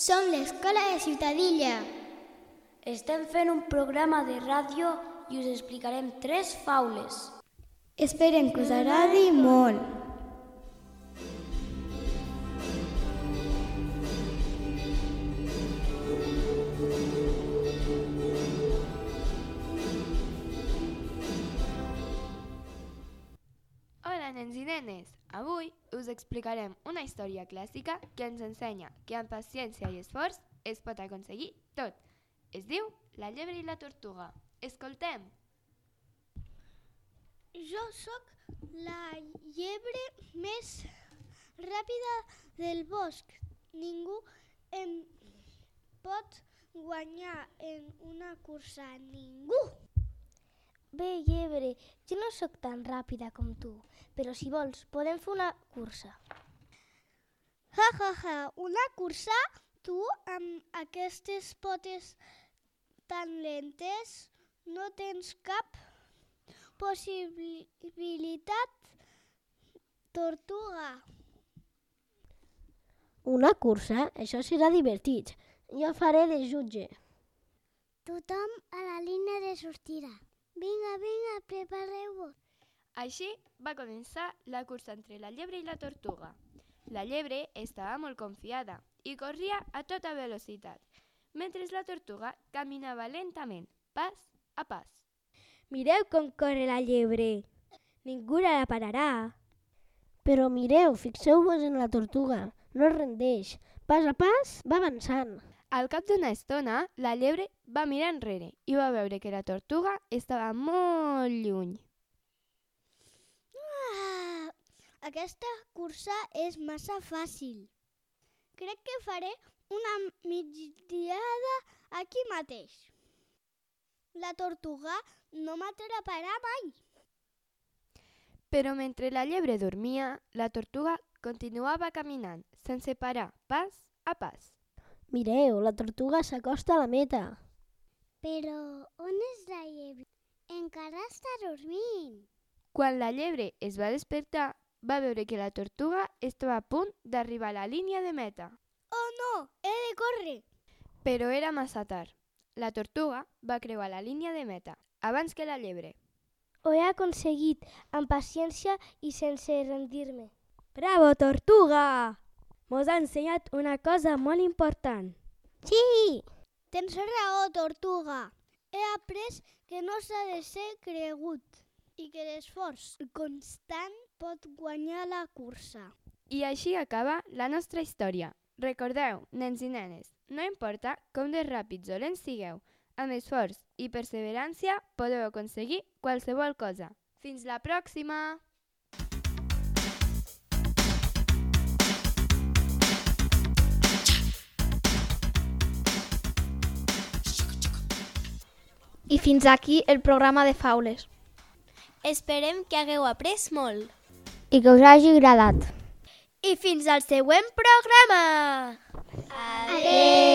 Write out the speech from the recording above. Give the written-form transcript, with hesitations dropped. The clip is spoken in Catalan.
Som l'Escola de Ciutadilla. Estem fent un programa de ràdio i us explicarem 3 faules. Esperem que us agradi molt. Hola, nens i nenes! Avui us explicarem una història clàssica que ens ensenya que amb paciència i esforç es pot aconseguir tot. Es diu La llebre i la tortuga. Escoltem! Jo sóc la llebre més ràpida del bosc. Ningú em pot guanyar en una cursa. Ningú! Bé, llebre, jo no sóc tan ràpida com tu, però si vols podem fer una cursa. Ja, ja, ja, una cursa? Tu, amb aquestes potes tan lentes, no tens cap possibilitat, tortuga. Una cursa? Això serà divertit. Jo faré de jutge. Tothom a la línia de sortida. Vinga, vinga, prepareu-vos. Així va començar la cursa entre la llebre i la tortuga. La llebre estava molt confiada i corria a tota velocitat, mentre la tortuga caminava lentament, pas a pas. Mireu com corre la llebre. Ningú la pararà. Però mireu, fixeu-vos en la tortuga. No es rendeix. Pas a pas va avançant. Al cap d'una estona, la llebre va mirar enrere i va veure que la tortuga estava molt lluny. Aquesta cursa és massa fàcil. Crec que faré una migdiada aquí mateix. La tortuga no m'atraparà mai. Però mentre la llebre dormia, la tortuga continuava caminant, sense parar, pas a pas. Mireu, la tortuga s'acosta a la meta. Però on és la llebre? Encara està dormint. Quan la llebre es va despertar, va veure que la tortuga estava a punt d'arribar a la línia de meta. Oh no, he de córrer. Però era massa tard. La tortuga va creuar la línia de meta abans que la llebre. Ho he aconseguit, amb paciència i sense rendir-me. Bravo, tortuga! Mos ha ensenyat una cosa molt important. Sí! Tens raó, tortuga. He après que no s'ha de ser cregut i que l'esforç constant pot guanyar la cursa. I així acaba la nostra història. Recordeu, nens i nenes, no importa com de ràpids o lents sigueu, amb esforç i perseverància podeu aconseguir qualsevol cosa. Fins la pròxima! I fins aquí el programa de faules. Esperem que hagueu après molt. I que us hagi agradat. I fins al següent programa! Adeu!